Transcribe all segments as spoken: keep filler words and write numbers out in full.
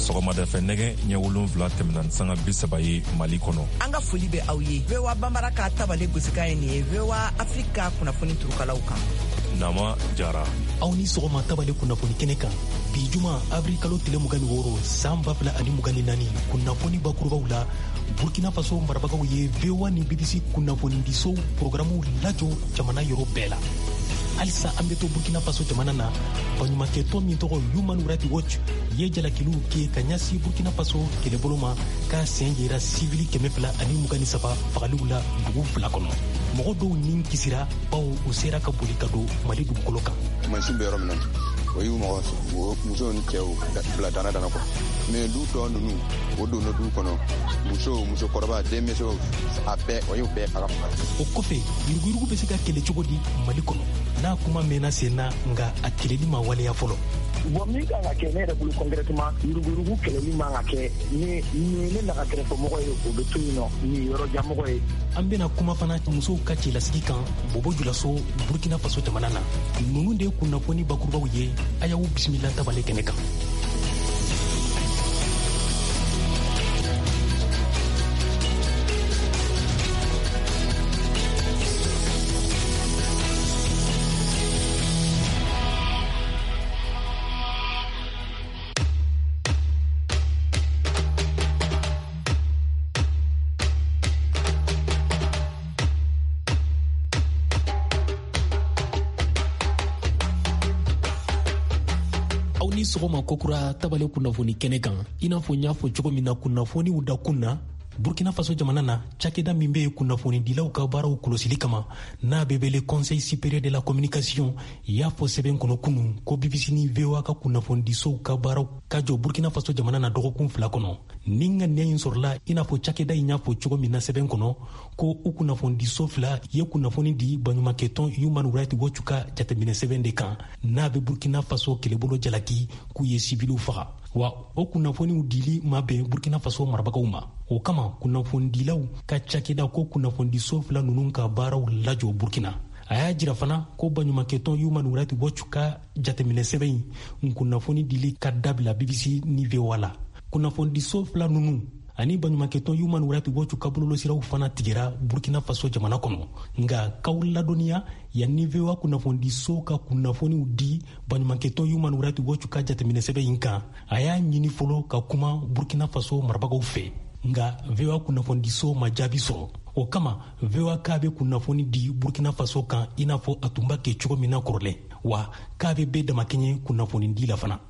Sɔgɔmada fɛ nɛgɛ ɲɛ wolonwula tɛmɛna ni sanga bi saba ye Mali kɔnɔ. An ka foli bɛ aw ye. V O A Bambara ka tabale gosikan ye nin ye V O A Afrique ka kunnafoni turukalaw kan. Nama Jara. Aw ni sɔgɔma tabale kunnafoni kɛnɛ kan. Bi juma avril kalo tile mugan ni wɔɔrɔ san ba fila ani mugan ni naani kunnafoni bakurubaw la Burkina Faso marabagaw ye V O A ni B B C kunnafonidisow programu lajɔ jamana yɔrɔ bɛɛ la. Halisa an bɛ to Burkina Faso jamana na, baɲumankɛtɔn min tɔgɔ Human Rights Watch ye jalakiliw kɛ ka ɲɛsin Burkina Faso kɛlɛbolo ma k'a sen yera sivili kɛmɛ fila ani mugan ni saba fagaliw la dugu fila kɔnɔ. Mɔgɔ dɔw nin kisira bawo u sera ka boli ka don Mali dugukolo kan. Mansin bɛ yɔrɔ min na, o y'u mɔgɔ musow ni cɛw bila dana dana kɔ. Mais du tɔ ninnu, o donna du kɔnɔ, musow, musokɔrɔba, denmisɛnw, a bɛɛ, o y'u bɛɛ faga faga. O kɔfɛ, yuruguyurugu bɛ se ka kɛlɛ cogo di Mali kɔnɔ? N'a kuma mɛnna sen na, nka a kɛlɛli ma waleya fɔlɔ. Bon, min kan ka kɛ ne yɛrɛ bolo concrètement, yuruguyurugu kɛlɛli man ka kɛ ni ni ne naga kɛrɛfɛmɔgɔ ye, o bɛ to yen nɔ, ni yɔrɔjanmɔgɔ ye. An bɛna kuma fana musow ka cɛlasigi kan Bobo Julaso, Burkina Faso jamana na. Ninnu de ye kunnafoni bakurubaw ye, a y'aw bisimila tabale kɛnɛ kan. Sɔgɔma kokura tabale kunnafoni kɛnɛ kan. I n'a fɔ n y'a fɔ cogo min na kunnafoniw dakun na, Burkina Faso jamana na, cakɛda min bɛ yen kunnafonidilaw ka baaraw kɔlɔsili kama n'a bɛ wele Conseil supérieur de la communication y'a fɔ sɛbɛn kɔnɔ kunun ko B B C ni V O A ka kunnafonidisow ka baaraw ka jɔ Burkina Faso jamana na dɔgɔkun fila kɔnɔ. Ni ŋaniya in sɔrɔla i n'a fɔ cakɛda in y'a fɔ cogo min na sɛbɛn kɔnɔ ko u kunnafonidiso fila ye kunnafoni di baɲumankɛtɔn Human Rights Watch ka jateminɛ sɛbɛn de kan n'a bɛ Burkina Faso kɛlɛbolo jalaki k'u ye sibiliw faga. Wa o kunnafoniw dili ma bɛn Burkina Faso marabagaw ma. O kama kunnafonidilaw ka cakɛda ko kunnafonidiso fila ninnu ka baaraw lajɔ Burkina. A y'a jira fana ko baɲumankɛtɔn Human Rights Watch ka jateminɛ sɛbɛn in kunnafoni dili ka dabila B B C ni V O A la. Kunnafonidiso fila ninnu ani baɲumankɛtɔn Human Rights Watch ka bɔlɔlɔsiraw fana tigɛra Burkina Faso jamana kɔnɔ. Nka k'aw ladɔnniya yanni V O A kunnafonidiso ka kunnafoniw di baɲumankɛtɔn Human Rights Watch ka jateminɛ sɛbɛn in kan, a y'a ɲini fɔlɔ ka kuma Burkina Faso marabagaw fɛ. Nka V O A kunnafonidiso ma jaabi sɔrɔ. O kama V O A k'a bɛ kunnafoni di Burkina Faso kan i n'a fɔ a tun b'a kɛ cogo min na kɔrɔlen, wa k'a bɛ bɛɛ damakɛɲɛ kunnafonidi la fana.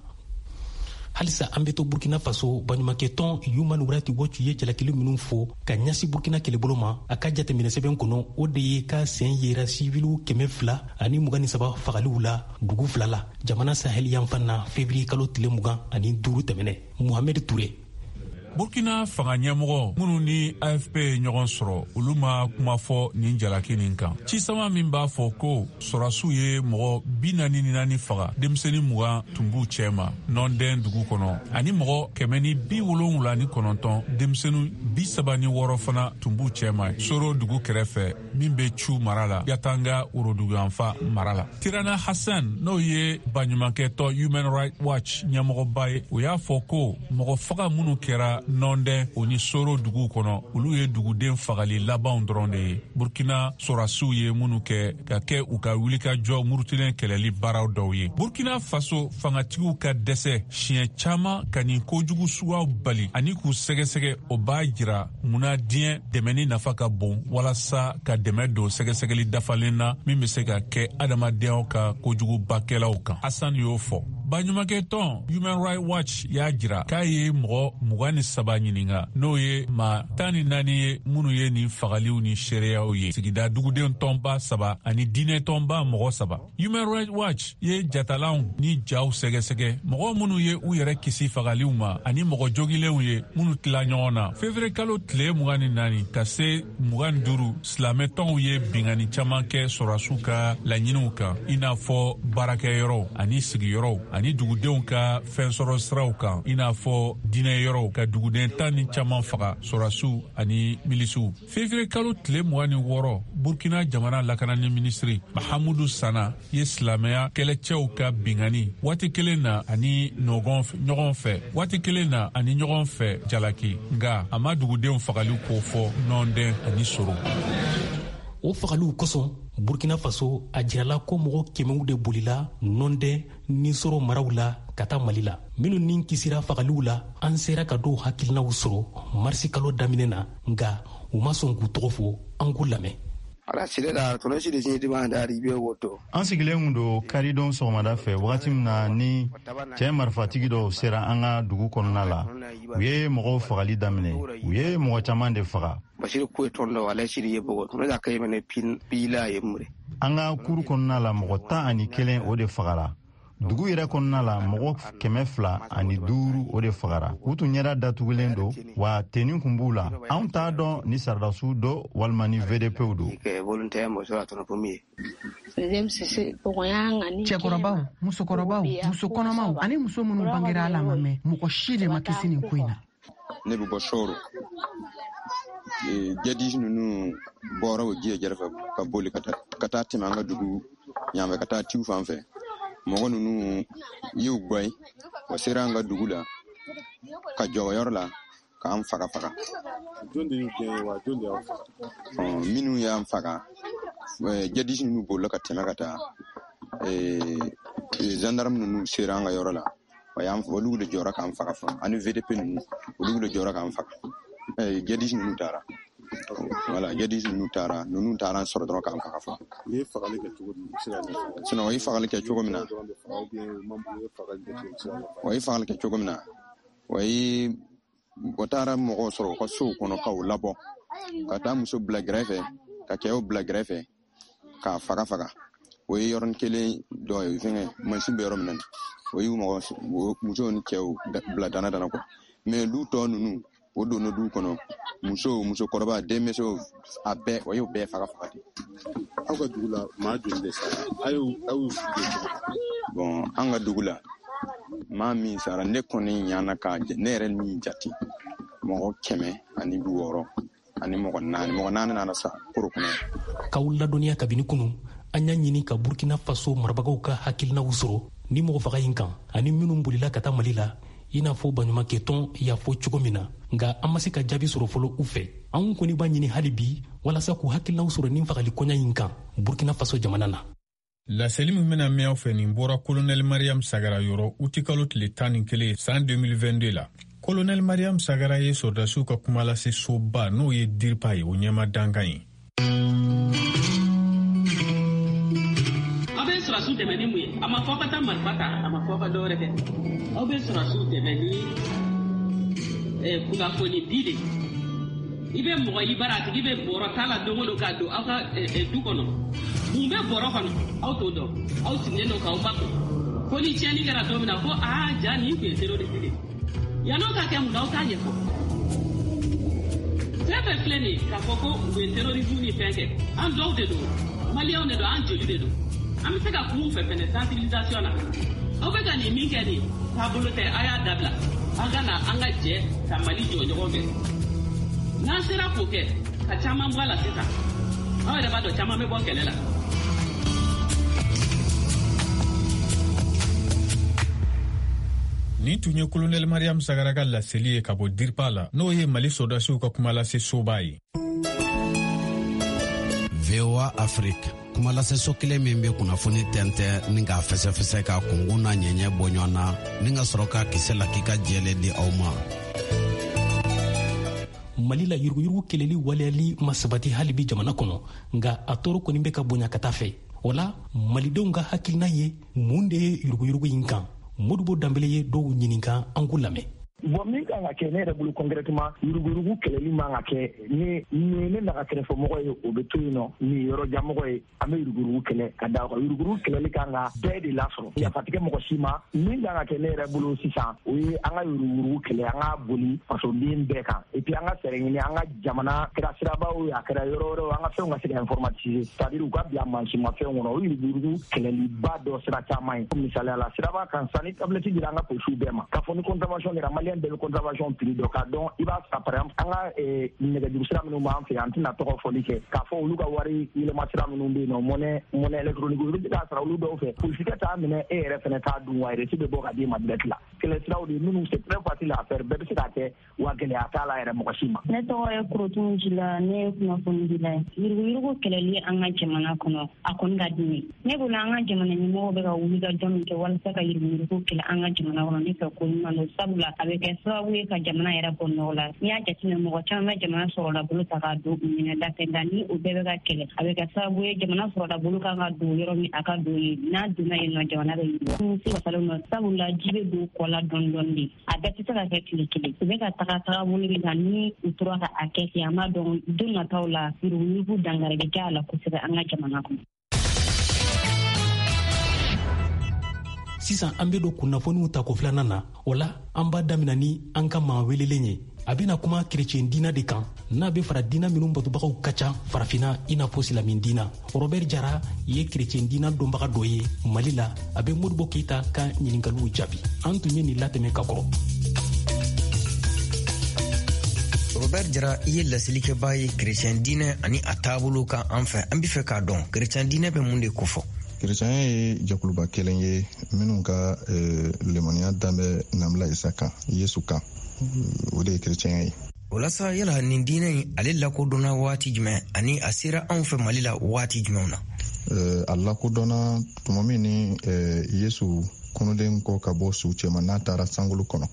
Halisa an bɛ to Burkina Faso, baɲumankɛtɔn Human Rights Watch ye jalakili minnu fɔ ka ɲɛsin Burkina kɛlɛbolo ma a ka jateminɛ sɛbɛn kɔnɔ, o de ye k'a sen yera siviliw kɛmɛ fila ani mugan ni saba fagaliw la dugu fila la jamana sahel yanfan na février kalo tile mugan ani duuru tɛmɛnɛ. Mohamed Touré. Burkina fanga ɲɛmɔgɔ minnu ni A F P ye ɲɔgɔn sɔrɔ, olu ma kuma fɔ nin jalaki nin kan. Cisama min b'a fɔ ko sɔrɔdasiw ye mɔgɔ bi naani ni naani faga, denmisɛnnin mugan tun b'u cɛma Nɔndɛn dugu kɔnɔ, ani mɔgɔ kɛmɛ ni bi wolonwula ni kɔnɔntɔn, denmisɛnnin bi saba ni wɔɔrɔ fana tun b'u cɛma Soro dugu kɛrɛfɛ min bɛ Cu mara la, Yatanga woroduguyanfan mara la. Tirana Hassan, n'o ye baɲumankɛtɔn Human Rights Watch ɲɛmɔgɔba ye, o y'a fɔ ko mɔgɔ faga minnu kɛra Nɔndɛn o ni Soro dugu kɔnɔ, olu ye duguden fagali labanw dɔrɔn de ye Burkina sɔrɔdasiw ye minnu kɛ ka kɛ u ka wulikajɔ murutilen kɛlɛli baaraw dɔw ye. Burkina Faso fangatigiw ka dɛsɛ siɲɛ caman ka nin kojugu suguyaw bali ani k'u sɛgɛsɛgɛ, o b'a jira munna diɲɛ dɛmɛni nafa ka bon walasa ka dɛmɛ don sɛgɛsɛgɛli dafalen na min bɛ se ka kɛ adamadenyaw ka kojugubakɛlaw kan. Hassan y'o fɔ. Baɲumankɛtɔn Human Rights Watch y'a jira k'a ye mɔgɔ mugan ni saba ɲininka, n'o ye maa tan ni naani ye minnu ye nin fagaliw ni seereyaw ye, sigida duguden tɔnba saba ani diinɛ tɔnba mɔgɔ saba. Human Rights Watch ye jatalanw ni jaw sɛgɛsɛgɛ, mɔgɔ minnu ye u yɛrɛ kisi fagaliw ma ani mɔgɔ jogilenw ye minnu tila ɲɔgɔn na. Février kalo tile mugan ni naani ka se mugan ni duuru, silamɛtɔnw ye binkanni caman kɛ sɔrɔdasiw ka laɲiniw kan, i n'a fɔ baarakɛyɔrɔw ani sigiyɔrɔw ani dugudenw ka fɛnsɔrɔ siraw kan, i n'a fɔ diinɛ yɔrɔw, ka duguden tan ni caman faga, sɔrɔdasiw ani milisiw. Février kalo tile mugan ni wɔɔrɔ, Burkina jamana lakanani minisiri Mahamudu Sana ye silamɛya kɛlɛcɛw ka binkanni waati kelen na ani ɲɔgɔn fɛ waati kelen na ani ɲɔgɔn fɛ jalaki, nka a ma dugudenw fagali ko fɔ Nɔndɛn ani Soro. O fagaliw kosɔn, Burkina Faso a jirala ko mɔgɔ kɛmɛw de bolila Nɔndɛn ni Soro maraw la ka taa Mali la. Minnu ni kisira fagaliw la, an sera ka dɔw hakilinaw sɔrɔ marisi kalo daminɛ na, nka u ma sɔn k'u tɔgɔ fɔ. An k'u lamɛn. An sigilen kun don karidon sɔgɔmada fɛ, wagati min na ni cɛ marifatigi dɔw sera an ka dugu kɔnɔna la, u ye mɔgɔw fagali daminɛ. U ye mɔgɔ caman de faga. An ka kuru kɔnɔna la, mɔgɔ tan ani kelen o de fagara. Dugu yɛrɛ kɔnɔna la, mɔgɔ kɛmɛ fila ani duuru o de fagara. U tun ɲɛda datugulen don, wa tenni kun b'u la. Anw t'a dɔn ni sɔrɔdasiw don walima ni V D Pw don. Cɛkɔrɔbaw, musokɔrɔbaw, musokɔnɔmaw ani muso minnu bangera a la ma mɛn, mɔgɔ si de ma kisi nin ko in na. Ne bɛ bɔ Soro. Jadisi ninnu bɔra o ji yɛrɛ fɛ ka boli ka taa tɛmɛ an ka dugu yanfɛ ka taa tiw fan fɛ. Mɔgɔ ninnu y'u gɛn, o sera an ka dugu la ka jɔ yɔrɔ la k'an faga faga. Jɔn de y'u gɛn wa jɔn de y'aw faga? Minnu y'an faga, jadisi ninnu bolila ka tɛmɛ ka taa. Gendarme ninnu sera an ka yɔrɔ la, olu de jɔra k'an faga fɔlɔ, ani V D P ninnu, olu de jɔra k'an faga. Jadisi ninnu taara. Voilà, jadisi ninnu taara, ninnu taara an sɔrɔ dɔrɔn k'an faga fɔlɔ. U ye fagali kɛ cogo di? I bɛ se ka ɲɛfɔ? Sinon, u ye fagali kɛ cogo min na, o ye fagali kɛ cogo min na, o ye o taara mɔgɔw sɔrɔ u ka sow kɔnɔ k'u labɔ, ka taa muso bila gɛrɛfɛ, ka cɛw bila gɛrɛfɛ, k'a faga faga. O ye yɔrɔnin kelen dɔ ye, fɛngɛ mansin bɛ yɔrɔ min na, o y'u mɔgɔ musow ni cɛw bila dana dana quoi. Mais du tɔ ninnu, o donna du kɔnɔ, musow, musokɔrɔba, denmisɛnw, a bɛɛ, o y'o bɛɛ faga faga de. Aw ka dugu la, maa joli de sara? Aw y'u aw y'u su jɔ cogo di? Bon, an ka dugu la, maa min sara, ne kɔni ɲana k'a ne yɛrɛ min jate, mɔgɔ kɛmɛ ani bi wɔɔrɔ ani mɔgɔ naani, mɔgɔ naani nana sa koro kɔnɔ. K'aw ladɔnniya kabini kunu, an y'a ɲini ka Burkina Faso marabagaw ka hakilinaw sɔrɔ ni mɔgɔ faga in kan, ani minnu bolila ka taa Mali la, i n'a fɔ baɲumankɛtɔn y'a fɔ cogo min na, nka an ma se ka jaabi sɔrɔ fɔlɔ u fɛ. Anw kɔni b'a ɲini hali bi walasa k'u hakilinaw sɔrɔ nin fagali kɔɲa in kan Burkina Faso jamana na. Laseli min bɛna mɛn aw fɛ, nin bɔra Kolonɛli Mariam Sagara yɔrɔ utikalo tile tan ni kelen san deux mille vingt-deux la. Kolonɛli Mariam Sagara ye sɔrɔdasiw ka kumalase soba n'o ye DIRPA ye, o ɲɛma dankan ye. Aw bɛ sɔrɔdasiw dɛmɛ ni mun ye? A ma fɔ ka taa marifa ta, a ma fɔ ka dɔwɛrɛ kɛ. Aw bɛ sɔrɔdasiw dɛmɛ ni kunnafoni di de. I bɛ mɔgɔ i bara, a tigi bɛ bɔrɔ ta la don o don k'a don aw ka du kɔnɔ. Mun bɛ bɔrɔ kɔnɔ? Aw t'o dɔn. Aw sigilen don k'aw makun. Ko ni tiɲɛni kɛra don min na, ko aa ja nin tun ye terroriste de ye. Yann'o ka kɛ mun na, aw t'a ɲɛfɔ. Fɛn fɛn filɛ nin ye k'a fɔ ko u ye terrorisme ni fɛn kɛ, an dɔw de don, maliyɛnw de don, an joli de don. An bɛ se ka kuma u fɛ fɛnɛ sensibilisation na. Aw bɛ ka nin min kɛ nin taabolo tɛ, a y'a dabila. An ka na an ka jɛ ka Mali jɔ ɲɔgɔn fɛ. N'an sera k'o kɛ, ka caman bɔ a la sisan, aw yɛrɛ b'a dɔn caman bɛ bɔ kɛlɛ la. Nin tun ye Kolonɛli Mariam Sagara ka laseli ye ka bɔ DIRPA la, n'o ye Mali sɔrɔdasiw ka kumalase soba ye. V O A Afrique, kumalaseso kelen min bɛ kunnafoni tɛntɛn ni k'a fɛsɛfɛsɛ ka kunkun n'a ɲɛɲɛ bɔ ɲɔgɔn na, ni ka sɔrɔ ka kisɛ lakika jɛlen di aw ma. Mali la, yuruguyurugu kɛlɛli waleyali ma sabati hali bi jamana kɔnɔ, nka a tɔɔrɔ kɔni bɛ ka bonya ka taa fɛ. O la, malidenw ka hakilina ye mun de ye yuruguyurugu in kan? Modibo Danbele ye dɔw ɲininka, an k'u lamɛn. Bon, min kan ka kɛ ne yɛrɛ bolo concrètement, yuruguyurugu kɛlɛli man ka kɛ ni ni ne naga kɛrɛfɛmɔgɔ ye, o bɛ to yen nɔ, ni yɔrɔjanmɔgɔ ye, an bɛ yuruguyurugu kɛlɛ ka da o kan. Yuruguyurugu kɛlɛli kan ka bɛɛ de lasɔrɔ, yafa tɛ kɛ mɔgɔ si ma. Min kan ka kɛ ne yɛrɛ bolo sisan, o ye an ka yuruguyurugu kɛlɛ, an ka boli fasoden bɛɛ kan, et puis an ka fɛɛrɛ ɲini an ka jamana kɛra sirabaw ye, a kɛra yɔrɔ wɛrɛw, an ka fɛnw ka se ka informatiser, c'est à dire u ka bila mansinmafɛnw kɔnɔ. O yuruguyurugu kɛlɛliba dɔ sira caman ye. Misaliya la, siraba kan sisan, ni tablette dira an ka polisiw bɛɛ ma, k'a fɔ ni contravention kɛra, maliyɛn bɛɛ bɛ contravention prix dɔn, k'a dɔn i b'a sara. Par exemple, an ka nɛgɛjuru sira minnu b'an fɛ, an tɛna tɔgɔ fɔli kɛ, k'a fɔ olu ka wari yɛlɛma sira minnu bɛ yen nɔ, monnaie monnaie électronique, olu bɛ se k'a sara olu dɔw fɛ. Polisikɛ t'a minɛ, e yɛrɛ fɛnɛ t'a dun, wa reçu bɛ bɔ ka d'i ma direct la. Kɛlɛ siraw de minnu c'est très facile à faire, bɛɛ bɛ se k'a kɛ, wa gɛlɛya t'a la yɛrɛ mɔgɔ si ma. Ne tɔgɔ ye Korotun Jila, ne ye kunnafonidila ye. Yuruguyurugu kɛlɛli an ka jamana kɔnɔ, a kɔni ka di ne ye. Ne bolo, an ka jamana ɲɛmɔgɔw bɛ ka wuli ka jɔ min kɛ walasa ka yuruguyurugu kɛlɛ an ka jamana kɔnɔ, ne fɛ ko ɲuman don, sabula a bɛ kɛ sababu ye ka jamana yɛrɛ bɔ nɔgɔ la. N'i y'a jateminɛ, mɔgɔ caman bɛ jamana sɔrɔda bolo ta k'a don u minɛ da fɛ, nka ni o bɛɛ bɛ ka kɛlɛ, a bɛ kɛ sababu ye jamana sɔrɔda bolo kan ka don yɔrɔ min, a ka don yen. N'a donna yen nɔ, jamana bɛ yiriwa. Nimisi wasalen don, sabula ji bɛ don kɔ la dɔɔni dɔɔni de, a bɛɛ tɛ se ka kɛ tile kelen. U bɛ ka taga tagabolo min kan, ni u tora ka a kɛ ten, an b'a dɔn don nataw la yuruguyurugu dankari bɛ kɛ a la kosɛbɛ an ka jamana kɔnɔ. Sisan an be don kunnafoniw tako filanan na. O la, an b'a damina ni an ka maa welelen ye. A bena kuma kerecɛn diina de kan, n'a be fara diina minw batobagaw ka ca farafina, i n'a fɔ silamin diina. Robert Jara ye kerecɛn diina dɔnbaga dɔ ye Mali la. A be Modibo Keyita ka ɲininkaliw jaabi. An tun ye nin latɛmɛ ka kɔrɔ. Robert Jara, i ye lasilikɛbaa ye kerecɛn diinɛ ani a taabolo kan an fɛ. An be fɛ k'a dɔn, kerecɛn diinɛ bɛ mun de kofɔ? Kerecɛnya ye jɛkuluba kelen ye minnu ka lemaniya dan bɛ Nabila Isa kan, Yesu kan. O de ye kerecɛnya ye. O la sa, yala nin diinɛ in, ale lakodɔnna waati jumɛn, ani a sera anw fɛ Mali la waati jumɛnw na? A lakodɔnna tuma min ni Yesu kunulen kɔ ka bɔ su cɛma, n'a taara sankolo kɔnɔ.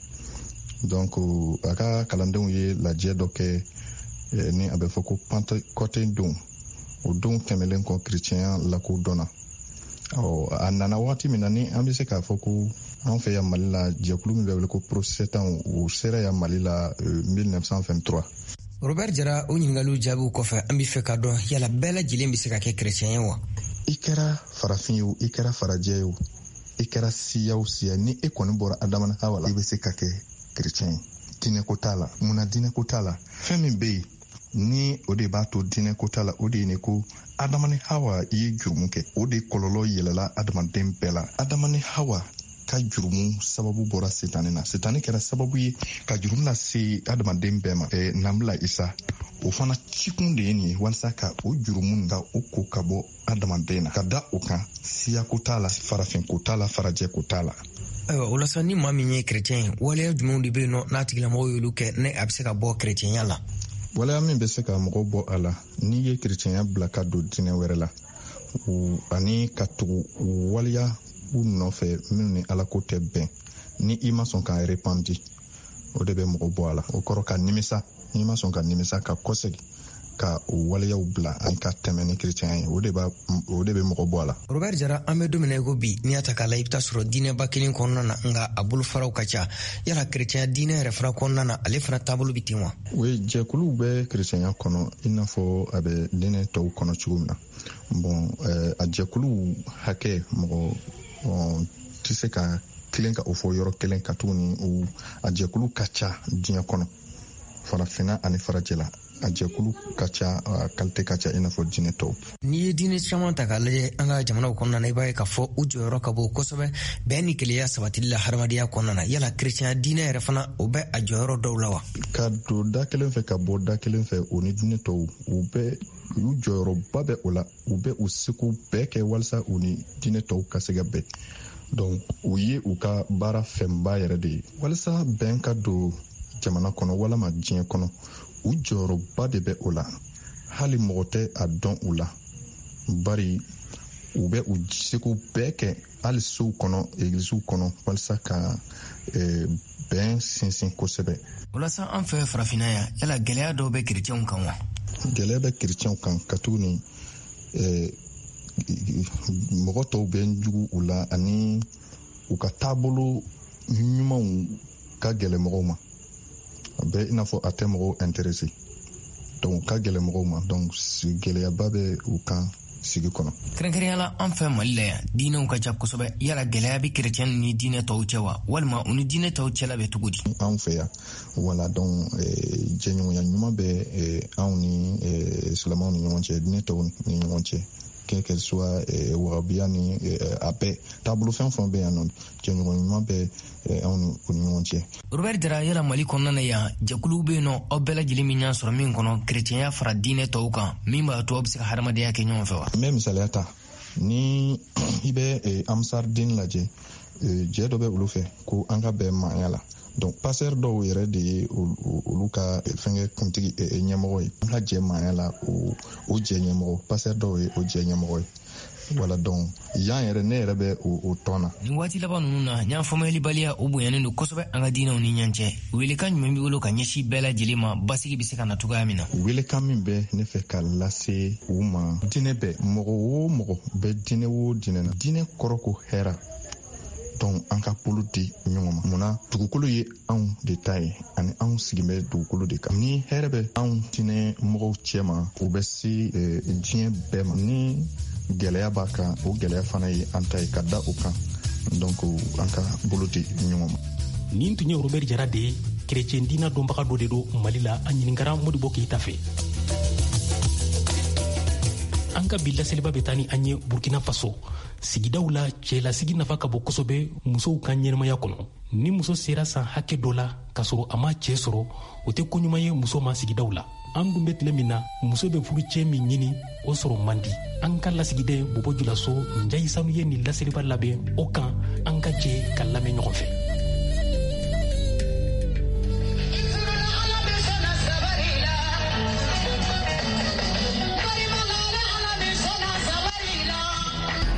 Donc a ka kalandenw ye lajɛ dɔ kɛ ni a bɛ fɔ ko Pentecôte don. O don tɛmɛlen kɔ, kerecɛnya lakodɔnna. Ɔ, a nana waati min na, ni an bɛ se k'a fɔ ko an fɛ yan Mali la, jɛkulu min bɛ wele ko protestant, o sera yan Mali la mille neuf cent vingt-trois. Robert Jara, o ɲininkaliw jaabiw kɔfɛ, an bɛ fɛ k'a dɔn, yala bɛɛ lajɛlen bɛ se ka kɛ kerecɛn ye wa? I kɛra farafin ye o, i kɛra farajɛ ye o, i kɛra siya o siya, ni e kɔni bɔra Adama ni Hawa la, i bɛ se ka kɛ kerecɛn ye. Diinɛko t'a la. Munna diinɛko t'a la? Fɛn min bɛ yen ni o de b'a to diinɛko t'a la, o de ye ne ko Adama ni Hawa ye jurumu kɛ, o de kɔlɔlɔ yɛlɛla adamaden bɛɛ la. Adama ni Hawa ka jurumu sababu bɔra setani na. Setani kɛra sababu ye ka jurumu lase adamaden bɛɛ ma. Eh, Nabila Isa, o fana cikun de ye nin ye, walasa ka o jurumu ka o ko ka bɔ adamaden na. Ka da o kan, siyako t'a la, farafinko t'a la, farajɛko t'a la. Ayiwa, o la sa, ni maa min ye kerecɛn ye, waleya jumɛnw de bɛ yen nɔ n'a tigilamɔgɔw y'olu kɛ, ne a bɛ se ka bɔ kerecɛnya la? Waleya min bɛ se ka mɔgɔ bɔ a la, n'i ye kerecɛnya bila ka don diinɛ wɛrɛ la, ani ka tugu waleya u nɔfɛ minnu ni Alako tɛ bɛn, ni i ma sɔn ka repenti, o de bɛ mɔgɔ bɔ a la. O kɔrɔ ka nimisa, n'i ma sɔn ka nimisa, ka kɔsegin ka o waleyaw bila ani ka tɛmɛ ni kerecɛnya ye, o de b'a o de bɛ mɔgɔ bɔ a la. Robert Jara, an bɛ don min na i ko bi, n'i y'a ta k'a la, i bɛ taa sɔrɔ diinɛba kelen kɔnɔna na, nka a bolofaraw ka ca. Yala kerecɛnya diinɛ yɛrɛ fana kɔnɔna na, ale fana taabolo bɛ ten wa? O ye jɛkuluw bɛ kerecɛnya kɔnɔ i n'a fɔ a bɛ diinɛ tɔw kɔnɔ cogo min na. Bon, a jɛkuluw hakɛ, mɔgɔ tɛ se ka kelen ka o fɔ yɔrɔ kelen, ka tuguni a jɛkulu ka ca diɲɛ kɔnɔ, farafinna ani farajɛla. A jɛkulu ka ca, a kalite ka ca i n'a fɔ diinɛ tɔw. N'i ye diinɛ caman ta k'a lajɛ an ka jamanaw kɔnɔna na, i b'a ye k'a fɔ u jɔyɔrɔ ka bon kosɛbɛ bɛn ni kelenya sabatili la hadamadenya kɔnɔna na. Yala kerecɛnya diinɛ yɛrɛ fana, o bɛ a jɔyɔrɔ dɔw la wa? Ka don da kelen fɛ, ka bɔ da kelen fɛ, o ni diinɛ tɔw, u bɛ u jɔyɔrɔba bɛ o la. U bɛ u seko bɛɛ kɛ walasa u ni diinɛ tɔw ka se ka bɛn. Donc o ye u ka baara fɛnba yɛrɛ de ye walasa bɛn ka don jamana kɔnɔ walama diɲɛ kɔnɔ. U jɔyɔrɔba de bɛ o la, hali mɔgɔ tɛ a dɔn u la, bari u bɛ u seko bɛɛ kɛ hali sow kɔnɔ, egilisiw kɔnɔ, walasa ka eh, bɛn sinsin kosɛbɛ. Walasa an fɛ farafinna yan, yala gɛlɛya dɔw bɛ kerecɛnw kan wa? Gɛlɛya bɛ kerecɛnw kan, katuguni eh, mɔgɔ tɔw bɛ jugu u la, ani u ka taabolo ɲumanw ka gɛlɛn mɔgɔw ma. A bɛ i n'a fɔ a tɛ mɔgɔw intéressé. Donc ka gɛlɛn mɔgɔw ma, donc gɛlɛyaba bɛ u kan sigi kɔnɔ. Kɛrɛnkɛrɛnya la an fɛ Mali la yan, diinɛw ka ca kosɛbɛ. Yala gɛlɛya bɛ kerecɛn ni diinɛ tɔw cɛ wa, walima u ni diinɛ tɔw cɛla bɛ cogo di? Anw fɛ yan, wala, donc jɛɲɔgɔnya ɲuman bɛ anw ni silamɛw ni ɲɔgɔn cɛ, diinɛ tɔw ni ɲɔgɔn cɛ, quel qu'elle soit, wahabiya ni a bɛɛ taabolo fɛn fɛn bɛ yan nɔ, jɛɲɔgɔn ɲuman bɛ anw ni u ni ɲɔgɔn cɛ. Robert Jara, yala Mali kɔnɔna na yan, jɛkuluw bɛ yen nɔ aw bɛɛ lajɛlen min ɲɛ sɔrɔ min kɔnɔ kerecɛnya fara diinɛ tɔw kan, min b'a to aw bɛ se ka hadamadenya kɛ ɲɔgɔn fɛ wa? N bɛ misaliya ta, ni i bɛ Ansar-Dine lajɛ, jɛ dɔ bɛ olu fɛ ko an ka bɛn maaya la. Donc pasteur dɔw yɛrɛ de ye olu ka fɛnkɛ kuntigi ɲɛmɔgɔ ye. An ka jɛ maaya la, o o jɛ ɲɛmɔgɔ, pasteur dɔw ye o jɛ ɲɛmɔgɔ ye. Wala, donc yan yɛrɛ, ne yɛrɛ bɛ o tɔn na. Nin waati laban ninnu na, ɲan faamuyalibaliya o bonyanen don kosɛbɛ an ka diinɛw ni ɲɔgɔn cɛ. Welekan jumɛn b'i bolo ka ɲɛsin bɛɛ lajɛlen ma basigi bɛ se ka na cogoya min na? Welekan min bɛ ne fɛ ka lase u ma, diinɛ bɛɛ, mɔgɔ o mɔgɔ bɛ diinɛ o diinɛ na, diinɛ kɔrɔ ko hɛrɛ. Donc an ka bolo di ɲɔgɔn ma. Munna dugukolo ye anw de ta ye, ani anw sigin bɛ dugukolo de kan. Ni hɛrɛ bɛ anw diinɛ mɔgɔw cɛ ma, o bɛ se diɲɛ bɛɛ ma. Ni gɛlɛya b'a kan, o gɛlɛya fana ye an ta ye ka da o kan. Donc an ka bolo di ɲɔgɔn ma. Nin tun ye Robert Jara de ye, kerecɛn diinɛ dɔnbaga dɔ de don Mali la. A ɲininkara Modibo Keyita fɛ. An ka bi laseliba bɛ taa ni an ye Burkina Faso. Sigidaw la, cɛlasigi nafa ka bon kosɛbɛ musow ka ɲɛnamaya kɔnɔ. Ni muso sera san hakɛ dɔ la k'a sɔrɔ a ma cɛɛ sɔrɔ, o tɛ koɲuman ye muso ma sigidaw la. An dun bɛ tile min na, muso bɛ furucɛ min ɲini, o sɔrɔ man di. An ka lasigiden Bobo Julaso Njayi Sanu ye nin laseliba labɛn o kan. An ka jɛ ka lamɛn ɲɔgɔn fɛ.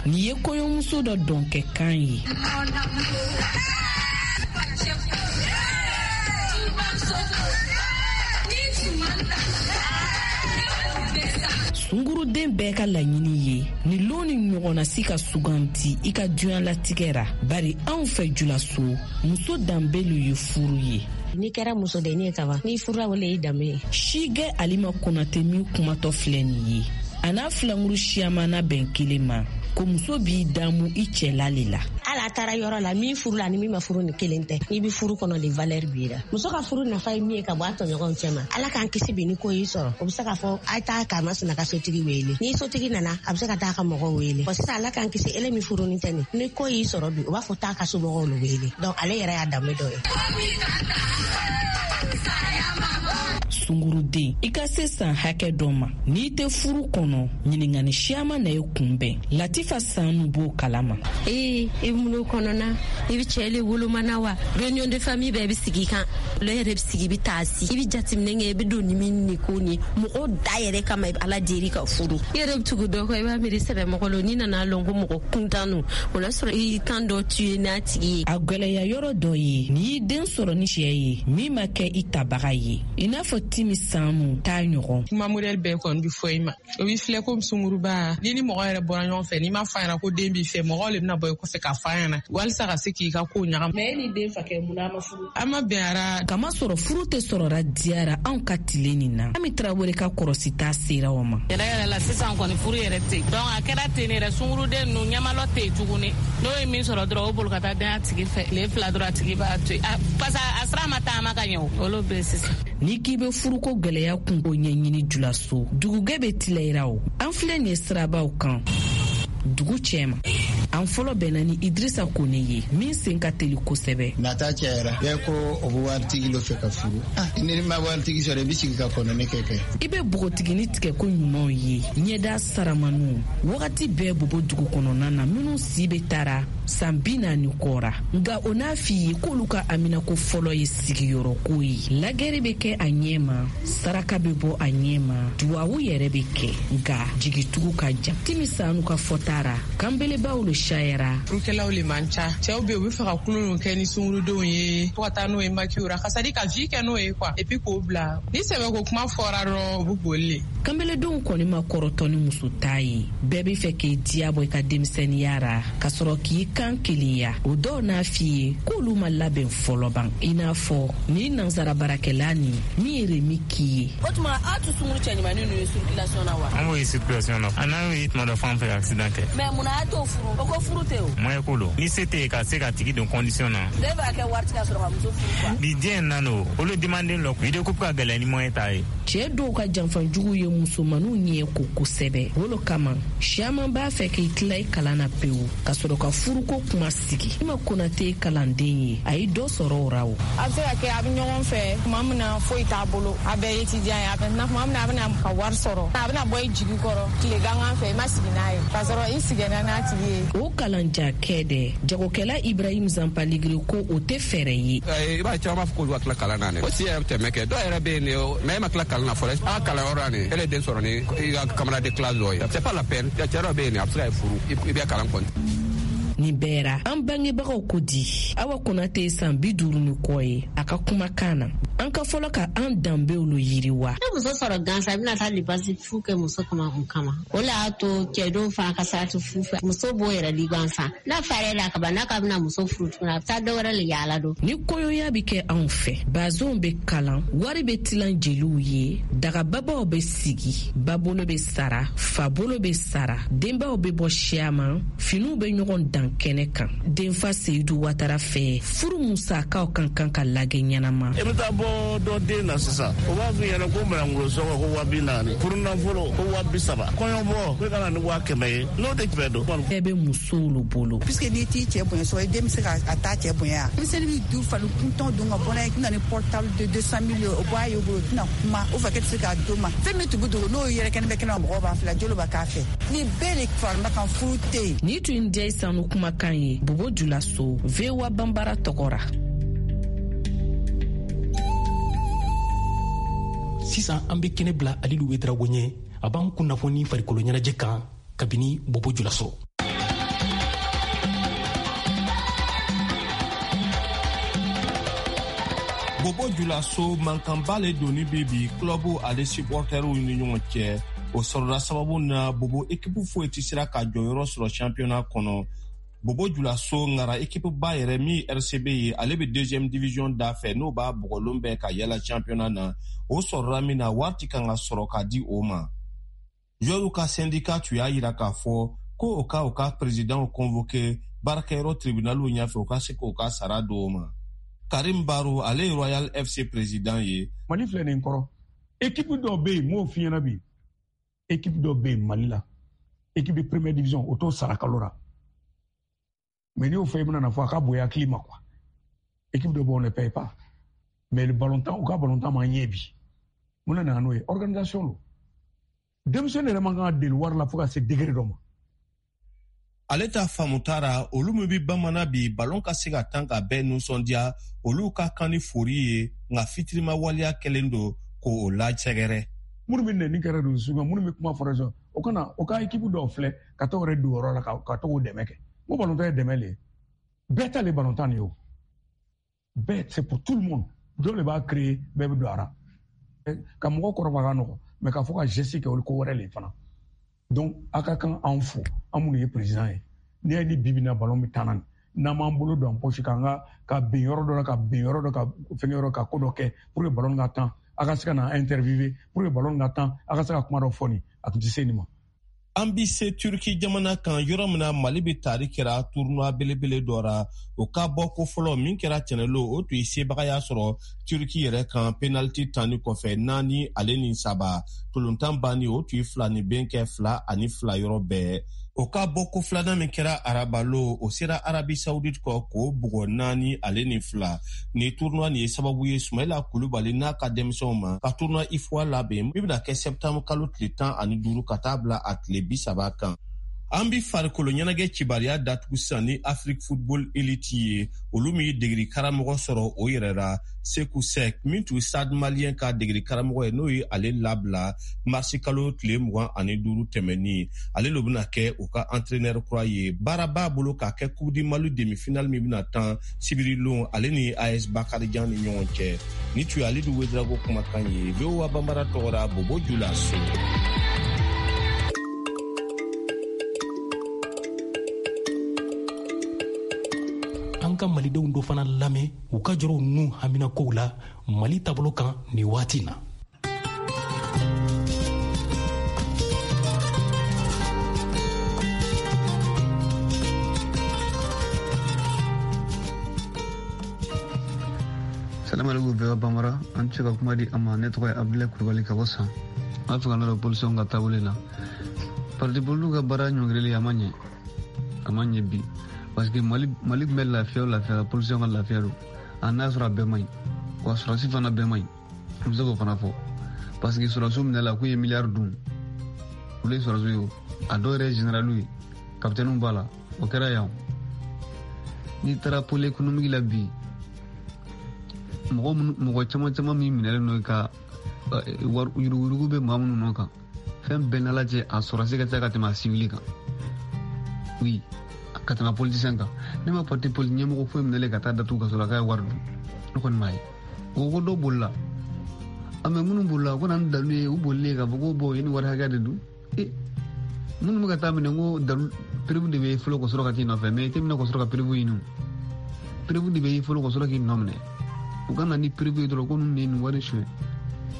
Nin ye kɔɲɔmuso dɔ dɔnkɛkan ye. Sunguruden bɛɛ ka laɲini ye nin lon ni ɲɔgɔnna si ka suganti i ka duɲalatigɛ ra, bari anw fɛ Julaso, muso danbelu ye furu ye. N'i kɛra musodennin ye kaban, n'i furula, o le y'i danbe ye. Sigɛ Alima Konate min kumatɔ filɛ nin ye, a n'a filankuru siyaman na bɛn kelen ma ko muso b'i damu i cɛla le la. Ala taara yɔrɔ la, min furu la ni min ma furu ni kelen tɛ. N'i bɛ furu kɔnɔ de, valeur b'i la. Muso ka furu nafa ye min ye ka bɔ a tɔɲɔgɔnw cɛ ma, Ala k'an kisi bi ni ko y'i sɔrɔ, o bɛ se k'a fɔ a ye taa karima ka sotigi wele. Ni sotigi nana, a bɛ se ka taa ka mɔgɔw wele. Bon, sisan Ala k'an kisi, ele min furunin tɛ nin, ni ko y'i sɔrɔ bi, o b'a fɔ taa ka somɔgɔw le wele. Donc ale yɛrɛ y'a danbe dɔ ye. Sunguruden, i ka se san hakɛ dɔ ma, n'i tɛ furu kɔnɔ, ɲininkani siyaman na ye kunbɛn. Latifa Sanu b'o kalama. Ee, i bɛ kɔnɔna, i bɛ cɛ le wolomana wa, réunion de famille bɛɛ bɛ sigi kan, olu yɛrɛ bɛ sigi, i bɛ taa si, i bɛ jateminɛ kɛ, i bɛ don ni min ni ko ni mɔgɔ da yɛrɛ kama, i bɛ Ala deli ka furu. I yɛrɛ bɛ tugu dɔ kɔ, i b'a miiri sɛbɛmɔgɔ lo, n'i nana lɔn ko mɔgɔ kuntan don, o la sɔrɔ i kan dɔ tu ye n'a tigi ye. A gwɛlɛya yɔrɔ dɔ ye, n'i y'i den sɔrɔ ni cɛ ye min ma kɛ i tabaga ye, i n'a fɔ Timi Sanu t'a ɲɔgɔn. Kuma modèle bɛɛ kɔni bɛ fɔ i ma, o b'i filɛ komi sunguruba. Ni ni mɔgɔ yɛrɛ bɔra ɲɔgɔn fɛ, n'i ma fɔ a ɲɛna ko den b'i fɛ, mɔgɔw le bɛna bɔ i kɔfɛ k'a fɔ a ɲɛna walisa ka se k'i ka kow ɲagami. Mais e ni den fakɛ, mun na a ma furu? A ma bɛn ara. Kama sɔrɔ furu tɛ sɔrɔra diyara anw ka tile nin na. Ami Tarawele ka kɔrɔsita sera o ma. Yɛrɛ yɛrɛ la, sisan kɔni furu yɛrɛ tɛ yen. Donc a kɛra ten yɛrɛ, sunguruden ninnu ɲamalɔ tɛ yen tuguni. N'o ye min sɔrɔ dɔrɔn, o bolo ka taa den a tigi fɛ. Tile fila dɔrɔn, a tigi b'a to yen. Parce que a sira ma taama ka ɲɛ o. Olu bɛ sisan. N'i k'i bɛ furuko gwɛlɛya kunko ɲɛɲini Julaso, dugugɛ bɛ tilayira o. An filɛ nin ye sirabaw kan dugu cɛma. An fɔlɔ bɛnna ni Idrisa Kone ye min sen ka teli kosɛbɛ. Nata cayara, bɛɛ ko o bɛ waritigi dɔ fɛ ka furu. Ni ma waritigi sɔrɔ, i bɛ sigi ka kɔnɔni kɛ kɛ. I bɛ npogotigini tigɛ ko ɲumanw ye, ɲɛda saramaniw wagati bɛɛ bobo dugu kɔnɔna na, minnu si bɛ taara san bi naani kɔra. Nka o n'a f'i ye k'olu ka aminako fɔlɔ ye sigiyɔrɔko ye. Lagɛrɛ bɛ kɛ a ɲɛ ma, saraka bɛ bɔ a ɲɛ ma, duwawu yɛrɛ bɛ kɛ, nka jigitugu ka jan. Timi Sanu ka fɔta ra, kanbelebaw le sayara. Furukɛlaw le man ca. Cɛw bɛ yen, u bɛ fɛ ka kulon kɛ ni sungurudenw ye fo ka taa n'o ye makiw ra, ka sadi ka vie kɛ n'o ye quoi, et puis k'o bila. Ni sɛbɛko kuma fɔra dɔrɔn, u bɛ boli le. Kanbeledenw kɔni ma kɔrɔtɔ ni muso ta ye. Bɛɛ bɛ fɛ k'i diya bɔ i ka denmisɛnninya ra, ka sɔrɔ k'i kan kelenya. O dɔw n'a f'i ye k'olu ma labɛn fɔlɔ ban, i n'a fɔ ni nansara baarakɛla nin min ye Remi k'i ye. O tuma aw tɛ sunkuru cɛɲumanin ninnu ye circulation na wa? An b'o ye circulation na. An n'an y'o ye tuma dɔ f'an fɛ accident kɛ. Mais munna a t'o furu? O ko furu tɛ o. Moyen ko don. Ni se tɛ yen ka se ka tigi don condition na. Ne b'a kɛ wari ti ka sɔrɔ ka muso furu quoi. Bi diɲɛ in na no, olu demanden lɔ vie de couple ka gɛlɛn ni moyen t'a ye. Cɛɛ dɔw ka janfanjugu ye musomaninw ɲɛ ko kosɛbɛ. O lo kama siaman b'a fɛ k'i tila i kalan na pewu ka sɔrɔ ka furuko kuma sigi. I ma Konate ye kalanden ye, a ye dɔ sɔrɔ o ra o. A bɛ se ka kɛ a bɛ ɲɔgɔn fɛ tuma min na foyi t'a bolo, a bɛɛ ye étudiant ye. A bɛ tuma min na a bɛna ka wari sɔrɔ, a bɛna bɔ i jigi kɔrɔ tile gangan fɛ, i ma sigi n'a ye k'a sɔrɔ i sigɛnna n'a tigi ye. O kalanjakɛ dɛ, jagokɛla Ibrahim Zanpaligiri ko o tɛ fɛɛrɛ ye. I b'a ye caman b'a fɔ k'olu ka tila kalan na dɛ. O si yɛrɛ tɛmɛ kɛ, dɔw yɛrɛ bɛ yen de, mais e ma tila kalan na fɔlɔ. A kalanyɔrɔ la nin, e le den sɔrɔ ni i ka camarade de classe dɔ ye. C'est pas la peine. Cɛ dɔ bɛ yen a bɛ se ka furu, i bɛ kalan kɔni. Nin bɛɛ ra, an bangebagaw ko di. Awa Konate ye san bi duuru ni kɔ ye a ka kumakan na. An ka fɔlɔ ka an danbew lo yiriwa. Ne muso sɔrɔ gansan, i bɛna taa lipasi fu kɛ muso kama kun kama. O le y'a to cɛdenw fana ka sarati fu fɛ. Muso b'o yɛrɛ di gansan. N'a farɛ la kaban, n'a ka bɛna muso furu tuguni, a bɛ taa dɔ wɛrɛ le yaala don. Ni kɔɲɔya bɛ kɛ anw fɛ, bazonw bɛ kalan, wari bɛ tilan jeliw ye, dagababaw bɛ sigi, babolo bɛ sara, fabolo bɛ sara, denbaw bɛ bɔ siyaman, finiw bɛ ɲɔgɔn dan kɛnɛ kan. Denfa Seyidu Watara fɛ, furu musakaw kan kan ka lagɛ ɲɛnama. I bɛ taa bɔ dɔ den na sisan, o b'a f'i ɲɛna ko manangolo sɔngɔ ko waa bi naani, furunafolo ko waa bi saba, kɔɲɔbɔ ko i ka na ni waa kɛmɛ ye, n'o tɛ bɛɛ don. Bɛɛ bɛ musow lo bolo. Puisque n'i t'i cɛ bonya sɔrɔ, i den bɛ se ka a t'a cɛ bonya. Denmisɛnnin bɛ du falen kuntɔn don ka bɔ n'a ye, na ni portable de deux cent mille o bɔ a ye o bolo, o tɛna kuma, o fɛ k'e tɛ se k'a d'o ma. Fɛn min tun bɛ dogo n'o yɛrɛ kɛnɛ bɛ kɛnɛ ma, mɔgɔw b'a filɛ, jolo b'a k'a fɛ. Ni bɛɛ de farima kan, furu tɛ yen. Ni tun ye Sanu kumakan ye Bobo Julaso, V O A Banbara tɔgɔ ra. Sisan an bɛ kɛnɛ bila Alidu Wedrago ɲɛ, a b'an kunnafoni farikolo ɲɛnajɛ kan kabini Bobo Julaso. Bobo Julaso mankanba le donni bɛ bi club ale supporteriw ni ɲɔgɔn cɛ. O sɔrɔla sababu na Bobo ekipu foyi tɛ sera ka jɔyɔrɔ sɔrɔ championnat kɔnɔ. Bobo Julaso ngara ekipu ba yɛrɛ min R C B ye, ale bɛ deuxième division da fɛ, n'o b'a bɔgɔlon bɛɛ ka yala championnat na. O sɔrɔla min na, wari ti kan ka sɔrɔ ka di o ma. Joueurs ka syndicat tun y'a yira k'a fɔ ko o ka o ka président convoqué baarakɛyɔrɔ tribunaliw ɲɛfɛ, o ka se k'o ka sara d'o ma. Karim Baro, ale ye Royal F C président ye. Mali filɛ nin kɔrɔ, équipe dɔw bɛ yen, m'o f'i ɲɛna bi, équipe dɔw bɛ yen Mali la, équipe de première division, o t'o sara kalo la. Mais n'i y'o fɔ, i bɛna na fɔ a ka bonya hakili ma quoi. Équipe dɔ bɛ on ne paye pas. Mais le ballontan, u ka ballontan ma ɲɛ bi. Mun de nana n'o ye? Organisation don. Denmisɛnnin yɛrɛ man kan ka deli wari la fo ka se degré dɔ ma. Ale ta faamu taara, olu min bɛ bamanan bi ballon ka se ka tan ka bɛɛ nisɔndiya, olu ka kan ni fori ye, nka fitirima waleya kɛlen don k'o lasɛgɛrɛ. Minnu bɛ nɛni kɛra don sugu, minnu bɛ kuma fɔra sisan, o kana o ka équipe dɔw filɛ ka t'o yɛrɛ don yɔrɔ la ka ka t'o dɛmɛ kɛ. N ko ballontan ye dɛmɛ le ye. Bɛɛ ta le ballontan de ye o. Bɛɛ, c'est pour tout le monde. Dɔw de b'a créer, bɛɛ bɛ don a la. Ka mɔgɔ kɔrɔbaya ka nɔgɔn, mais k'a fɔ ka geste kɛ o ye ko wɛrɛ le fana. Donc a ka kan an fo, an minnu ye président ye. N'i y'a ye ni bi bi in na ballon bɛ taa na nin, n'an m'an bolo don an poche k'an ka ka bin yɔrɔ dɔ la, ka bin yɔrɔ dɔ, ka fɛngɛ yɔrɔ, ka ko dɔ kɛ pour que ballon ka tan, a ka se ka na interviewer pour que ballon ka tan, a ka se ka kuma dɔ fɔ nin, a tun tɛ se nin ma. An bi se Turki jamana kan, yɔrɔ min na Mali bɛ tari kɛra tournoi belebele dɔ ra. O ka bɔ ko fɔlɔ min kɛra tɛnɛlo, o tun ye sebagaya sɔrɔ Turki yɛrɛ kan penalty tanni kɔfɛ naani ale ni saba. Tolontan banni, o tun ye fila ni ben kɛ fila ani fila yɔrɔ bɛɛ. O ka bɔ ko filanan min kɛra arabalo, o sera Arabi Saoudite kɔ k'o bugɔ naani ale ni fila. Ni tournoi nin ye sababu ye Sumayila Kulubali n'a ka denmisɛnw ma ka tournoi I F O A labɛn min bɛna kɛ septembre kalo tile tan ani duuru ka taa bila a tile bi saba kan. An bi farikolo ɲɛnajɛ cibariya datugu sisan ni Afrique Football Elite ye, olu min ye degeli karamɔgɔ sɔrɔ o yɛrɛ la, Seku Sek min tun Stade Malien ka degeli karamɔgɔ ye, n'o ye ale labila marisi kalo tile mugan ani duuru tɛmɛnin. Ale lo bɛna kɛ u ka entraîneur kura ye. Baara b'a bolo k'a kɛ Coupe du Mali demi-finale min bɛna tan sibiri lon ale ni A S Bakarijan ni ɲɔgɔn cɛ. Ni tun ye Alidu Wedrago kumakan ye, V O A Banbara tɔgɔ la, Bobo Julaso. ka malidenw dɔ fana lamɛn u ka jɔrɔw n'u haminakow la Mali taabolo kan nin waati na. Salam alaikum V O A Bambara, an tɛ se ka kuma di a ma. Ne tɔgɔ ye Abdulayi Kulubali ka bɔ San. An b'a fɛ ka nɔrɔ polisiw ka taabolo la. Parti politique ka baara ɲɔngirili a ma ɲɛ, a ma ɲɛ bi, parce que Mali Mali tun bɛ lafiya o lafiya la, polisiw ka lafiya don. A n'a sɔrɔ a bɛɛ man ɲi, wa sɔrɔsi fana bɛɛ man ɲi, n bɛ se k'o fana fɔ, parce que sɔrɔsiw minɛ la k'u ye miliyari dun, olu ye sɔrɔsiw ye o, a dɔw yɛrɛ ye généraliw ye, capitaine b'a la, o kɛra yan. N'i taara pôle économique la bi, mɔgɔ minnu mɔgɔ caman caman min minɛlen don ka wari yuruguyurugu bɛ maa minnu nɔ kan, fɛn bɛɛ n'ala cɛ, a sɔrɔsi ka ca ka tɛmɛ a civil kan, oui, ka tɛmɛ politicien kan. Ne ma parti politique ɲɛmɔgɔ foyi minɛlen ka taa datugu ka sɔrɔ k'a ye wari dun, ne kɔni m'a ye. O ko dɔw bolila, a mɛ minnu bolila ko na ni dalu ye, u bolilen k'a fɔ ko bɔn i ni wari hakɛ de dun. E minnu bɛ ka taa minɛ ko dalu preuve de bɛ fɔlɔ ka sɔrɔ ka t'i nɔfɛ, mɛ i tɛ minɛ ka sɔrɔ ka preuve ɲini, preuve de bɛ fɔlɔ ka sɔrɔ k'i nɔ minɛ. U ka na ni preuve ye dɔrɔn ko ninnu ye nin wari suɲɛ,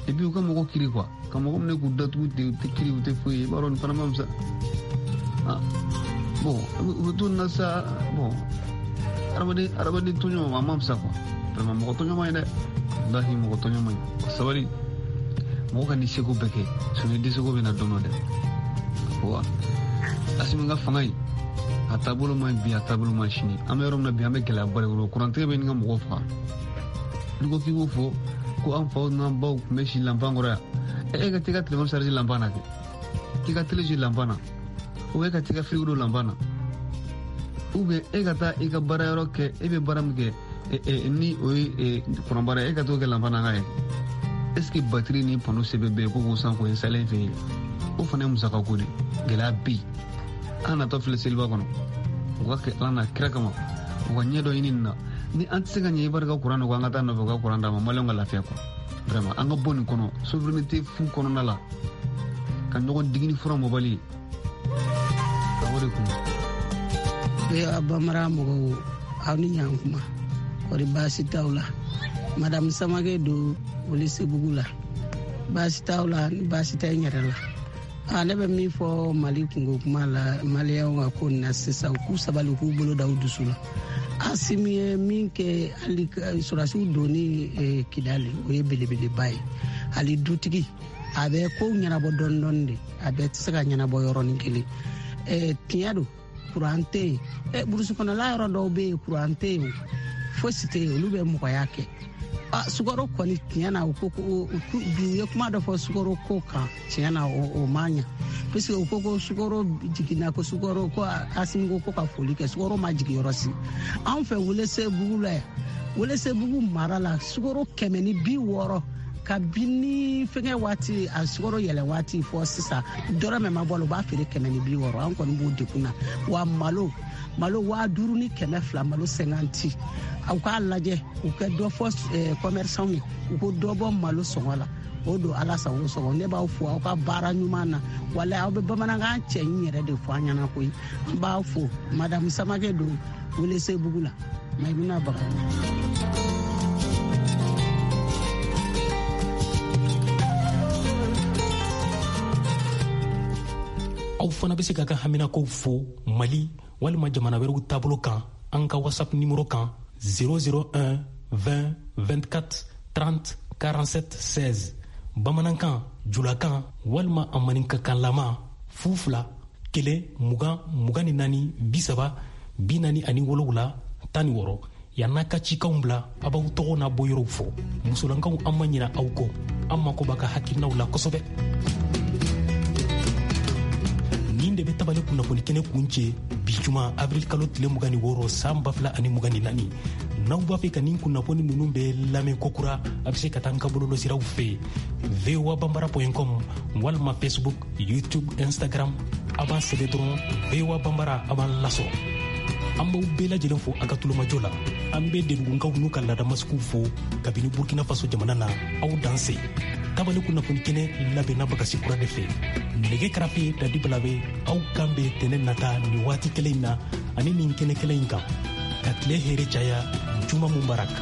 et puis u ka mɔgɔ kiri quoi, ka mɔgɔ minɛ k'u datugu ten, u tɛ kiri, u tɛ foyi ye, i b'a dɔn nin fana ma fisa. Ah bon, u bɛ to nin na sa. Bon, adamaden adamaden tɔɲɔ a ma fisa quoi, vraiment mɔgɔ tɔɲɔ man ɲi dɛ, walahi mɔgɔ tɔɲɔ man ɲi. Sabali, mɔgɔ ka n'i seko bɛɛ kɛ, sinon i dɛsɛko bɛ na don dɔ dɛ. Wa Asimi ka fanga in, a taabolo man ɲi bi, a taabolo man ɲi sini. An bɛ yɔrɔ min na bi, an bɛ gɛlɛyaba de kɔnɔ, kurantigɛ bɛ ɲini ka mɔgɔw faga. N'i ko k'i b'o fɔ ko an faw n'an baw tun bɛ si lanpan kɔrɔ yan, e ka t'i ka telefɔni charge lanpan na kɛ, k'i ka télé jouer lanpan na, ou e ka t'i ka frigo don lanpan na, ou bien e ka taa i ka baarayɔrɔ kɛ, e bɛ baara min kɛ ni o ye kuran baara ye, e ka t'o kɛ lanpan na ka ye. Est ce que batterie ni panneau sɛbɛn bɛ yen ko k'o san k'o installer i fɛ yen? O fana ye musaka ko de, gɛlɛya bɛ yen. An natɔ filɛ seliba kɔnɔ, u ka kɛ Ala n'a kira kama, u ka ɲɛ dɔ ɲini nin na. Ni an tɛ se ka ɲɛ i barika kuran na, ko an ka taa nɔfɛ u ka kuran d'an ma, maliyɛnw ka lafiya quoi. Vraiment an ka bɔ nin kɔnɔ, souveraineté fu kɔnɔna la, ka ɲɔgɔn digi ni fura mɔbali ye, o de kun. V O A Bambara mɔgɔw, aw ni ɲankuma, kɔri baasi t'aw la? Madame Samake don Welesebugu la. Baasi t'aw la, ni baasi tɛ n yɛrɛ la. A ne bɛ min fɔ Mali kungo kuma la, maliyɛnw ka ko nin na sisan, u k'u sabali, u k'u bolo da u dusu la. Asimi ye min kɛ, hali sɔrɔdasiw donni Kidali, o ye belebeleba ye. Hali dutigi a bɛ kow ɲɛnabɔ dɔɔni dɔɔni de, a bɛɛ tɛ se ka ɲɛnabɔ yɔrɔnin kelen. Tiɲɛ don, kuran tɛ yen, burusi kɔnɔla yɔrɔ dɔw bɛ yen kuran tɛ yen, fosi tɛ yen, olu bɛ mɔgɔya kɛ. Sukaro kɔni tiɲɛ na, u ko ko bi u ye kuma dɔ fɔ sukaro ko kan, tiɲɛ na o ma ɲa, puisque u ko ko sukaro jiginna, ko sukaro ko Asimi ko ko ka foli kɛ, sukaro ma jigin yɔrɔ si. Anw fɛ Welesebugu la yan, Welesebugu mara la, sukaro kɛmɛ ni bi wɔɔrɔ kabini fɛngɛ waati, a sukaro yɛlɛ waati fɔ sisan, dɔrɔmɛ ma bɔ a la, u b'a feere kɛmɛ ni bi wɔɔrɔ. An kɔni b'o degun na. Wa malo malo waa duuru ni kɛmɛ fila, malo cinquante. Aw k'a lajɛ, u ka dɔ fɔ commerçant ye, u ko dɔ bɔ malo sɔngɔ la, o don Ala sago sɔgɔ. Ne b'aw fo aw ka baara ɲuman na, walahi aw bɛ bamanankan cɛ ɲi yɛrɛ de fɔ an ɲɛna koyi. An b'aw fo. Madame Samake don Welesebugu la, Mayimuna Bagayogo. Aw fana bɛ se ka ka haminakow fo Mali walima jamana wɛrɛw taabolo kan an ka WhatsApp numéro kan zéro zéro un vingt vingt-quatre trente quarante-sept seize, bamanankan, julakan walima a maninkakanlama fu fila kelen mugan mugan ni naani bi saba bi naani ani wolowula tan ni wɔɔrɔ. Yann'a ka cikanw bila, a b'aw tɔgɔ n'a bɔyɔrɔw fɔ. Musolankaw, an ma ɲina aw kɔ, an mako b'a ka hakilinaw la kosɛbɛ. Nin de bɛ tabale kunnafoni kɛnɛ kun cɛ bi juma avril kalo tile mugan ni wɔɔrɔ san ba fila ani mugan ni naani. N'aw b'a fɛ ka nin kunnafoni ninnu bɛɛ lamɛn kokura, a bɛ se ka taa an ka bɔlɔlɔsiraw fɛ voa bambara point com walima Facebook, YouTube, Instagram. A b'an sɛbɛn dɔrɔn V O A Bambara, a b'an lasɔrɔ. An b'aw bɛɛ lajɛlen fo a ka tulomajɔ la. An bɛ dedugunkaw n'u ka laadamasigiw fo kabini Burkina Faso jamana na. Aw danse. Tabale kunnafoni kɛnɛ labɛnna Bagasi Kura de fɛ. Nɛgɛ karafe Dadi Balabe. Aw kan bɛ tɛnɛ nata nin waati kelen in na ani nin kɛnɛ kelen in kan. Ka tile hɛrɛ caya. Juma mubarak.